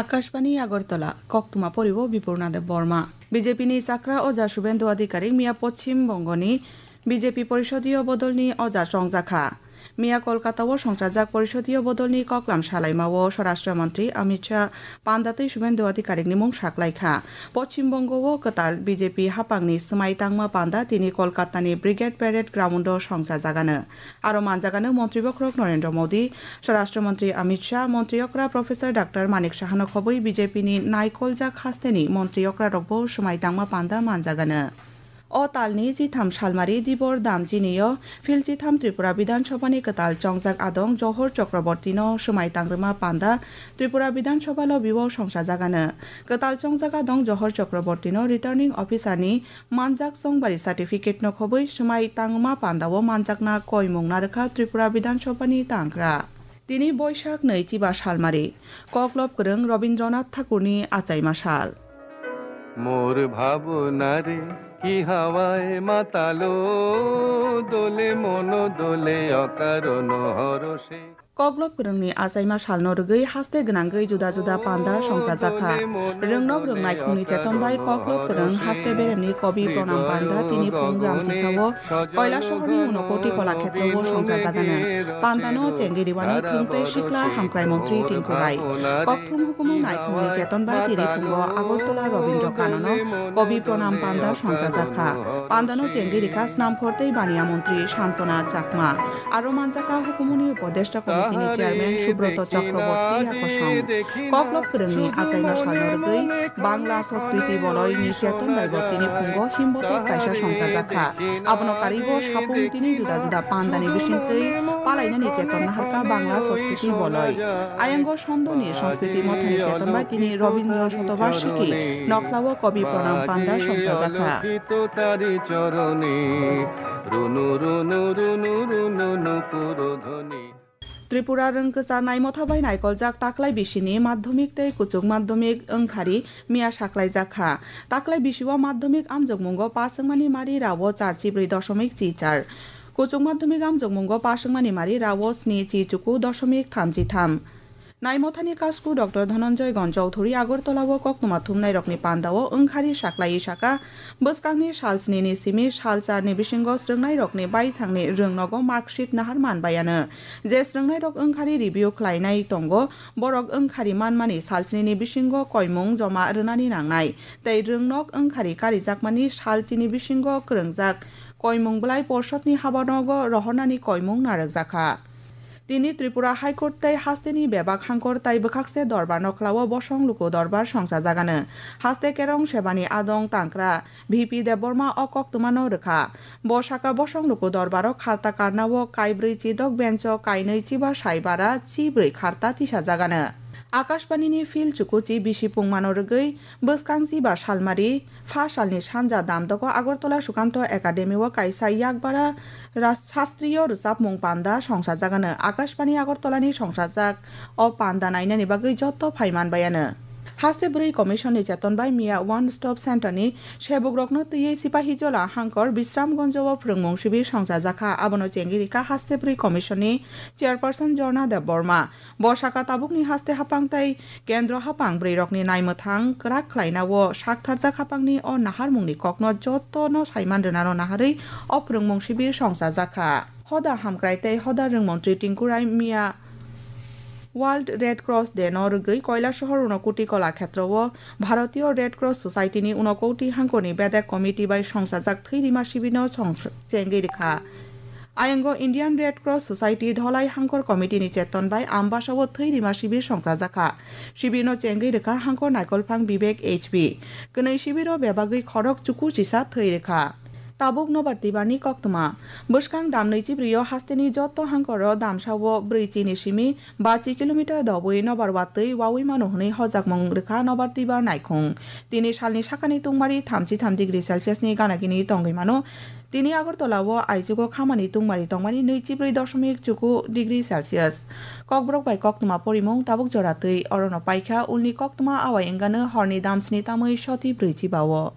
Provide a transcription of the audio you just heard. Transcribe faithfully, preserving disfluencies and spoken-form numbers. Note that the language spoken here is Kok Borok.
Akashbani Agartala, koktwma poriwo Bipurna Deb Borma. B J P ni chakra oja Subhendu Adhikari miya Poschim Bongoni B J P Porishodiyo Bodolni oja chongjakha. Miya Kolkata o songchajak Porishodiyo Bodolni koklam salaimao Swarashtra Montri Amit Shah panda tei Subhendu Adhikarikni mung saklaikha. Poschim Bongo o kwtal B J P haphangni swmai tangma panda tini Kolkatani Brigade Parade Ground o songchajagano. Aro manjagano Montri Bokhorok Narendra Modi, Swarashtra Montri Amit Shah, Montri Okra Professor Doctor Manik Sahano khobwi B J P ni naikoljak hasteni Montri Okra rokbo swmai tangma panda manjagano. O talni chitham salmari Dibor Damjini o Phil chitham Tripura Bidhan Sabha ni kwtal chongjak adong Johor Chakraborty no swmai tangrwma panda Tripura Bidhan Sabha lobby o songchajagano. Kwtal chongjak adong Johor Chakraborty no Returning Officer ni manjak chongbari certificate no khobwi swmai tangma panda o manjakna koimung narwkha Tripura Bidhan Sabha ni tangra. Tini Boisak nwi chiba salmari. Koklop kwrwng Rabindranath Thakurni achaima sal. মোর ভাবনারে কি হাওয়ায় মাতালো, দোলে মন দোলে অকারণ হরষে। Koklop kwrwngni achaima salno rwgwi haste gwnangwi juda juda panda songchajakha. Rwngnok rwngnai khungni cheton bai koklop kwrwng haste beremni kobi pronam panda tini phung gamchisao Koilasohorni Unakoti Kolakhetrowo songchajagano. Pandano chengwi rwani thwng tei sikla hamkrai montri Tinku Rai. Kokthum hukumu naikhungni cheton bai tini phungo Agartala Rabindra Kanono kobi pronam panda songchajakha. Pandano chengwi rikha Snamphor tei Baniya montri Santona Chakma. Aro manjakha hukumuni Upodeshta Committee ni Chairman Subroto Chakraborty yakosong. Koklop kwrwngni achaima salno rwgwi Bangla Sanskriti Boloi ni cheton bai bo tini phungo himbotok kaisa songchajakha. Abono karwibo sapung tini juda juda pandani bisingtwi palainani cheton naharkha Bangla Sanskriti Boloi. Ayango Sondoni Sanskriti Mothani cheton bai tini Rabindra Shotobashiki nokhlao kobi pronam panda songchajakha. Runu রুনু রুনু রুনু নুপুর ধ্বনি। Tripura rwngkwchar naimotha bai naikoljak taklai bisini madhyamik tei kuchuk madhyamik wngkhari miya saklaijak kha. Taklai bisio madhyamik amjokmungo pass wngmani mari rao char chibrwi doshomik chi char. Kuchuk madhyamik amjokmungo pass wngmani mari rao sni chi chuku doshomik thamchi tham. Naimothani kasku Doctor Dhananjay Gon Chowdhury Agartala o koktwma thumnairokni pandao wngkhari saklaiwi saka, bwskangni sal snini simi sal charni bisingo srwngnairokni baithangni rwngnogo marksheet nahar manbaiano. Je srwngnairok wngkhari review khlainai tongo, borok wngkhari manmani sal snini bisingo koimung joma rwnani nangnai, tei rwngnok wngkhari karijakmani sal chini bisingo kwrwngjak koimung bwlai porshotni habanogo rohornani koimung narwkjakha. Tini Tripura High Court tei hasteni bebak hangkor tai bwkhakse dorbar nokhlao bosong luku dorbar songchajagano. Haste kerong sebani adong tangkra V P Debbarma o koktwmano rwkha. Bo saka bosong luku dorbaro kharta karnao kaibrwi chidok bencho kainwi chiba saibara chibrwi kharta tisajagano. Akashbanini Phil Chukuchi bisi pungmano rwgwi bwskang chiba salmari Pha salni sanja damdogo Agartala Sukanto Academy o kaisa yakbara ras-, sastriyo rwchapmung panda songchajagano. Akashbani Agartala ni songchajak o panda nainani bagwi joto phai manbaiano. Haste bwrwi commission ni cheton bai miya One Stop Center ni sebukrokno twiwi Sipahijola hangkor Bisramganj o phrwngmung sibir songchajakha. Abono chengwi rikha Haste bwrwi commission ni chairperson Jorna Debbarma. Bo saka tabukni haste haphang tei kendro haphang bwrwirokni naimwthang kwrak khlainao saktharjak haphangni o naharmungni kokno jotono saiman rwnano naharwi o phrwngmung sibir songchajakha. Hoda hamkrai tei hoda rwngmontri Tinku Rai miya World Red Cross Day no rwgwi Koilasohor Unakoti Kolakhetro o Bharatiyo Red Cross Society ni Unakoti hangkorni bedek committee bai songchajak thwi rima sibirno song-, chengwi rwkha. Ayango Indian Red Cross Society Dholai Hangkor Committee ni cheton bai Ambasa o thwi rima sibir songchajakha. Sibirno chengwi rwkha Hangkor Naikolphang Vivek H B. Kwnwi sibiro bebagwi khorok chuku chisa thwi rwkha. Tabuk Nobar Tibar ni koktwma. Bwskang damnwi chibrio hasteni joto hangkoro damsao brwi chini simi ba chi kilometer dobwi nobar watwi wawi mano hwnwi hojakmung rwkha Nobar Tibar naikhung. Tini salni sakani tungmari thamchi tham degree Celsius ni gana gini tongwi mano. Tini Agartala o aichugo khamani tungmari tongmani nwi chibrwi doshomik chuku degree Celsius. Kokborok bai koktwma porimung tabuk jora twi orono paikha ulni koktwma awai wngano horni damsni tamwi soti brwi chiba o.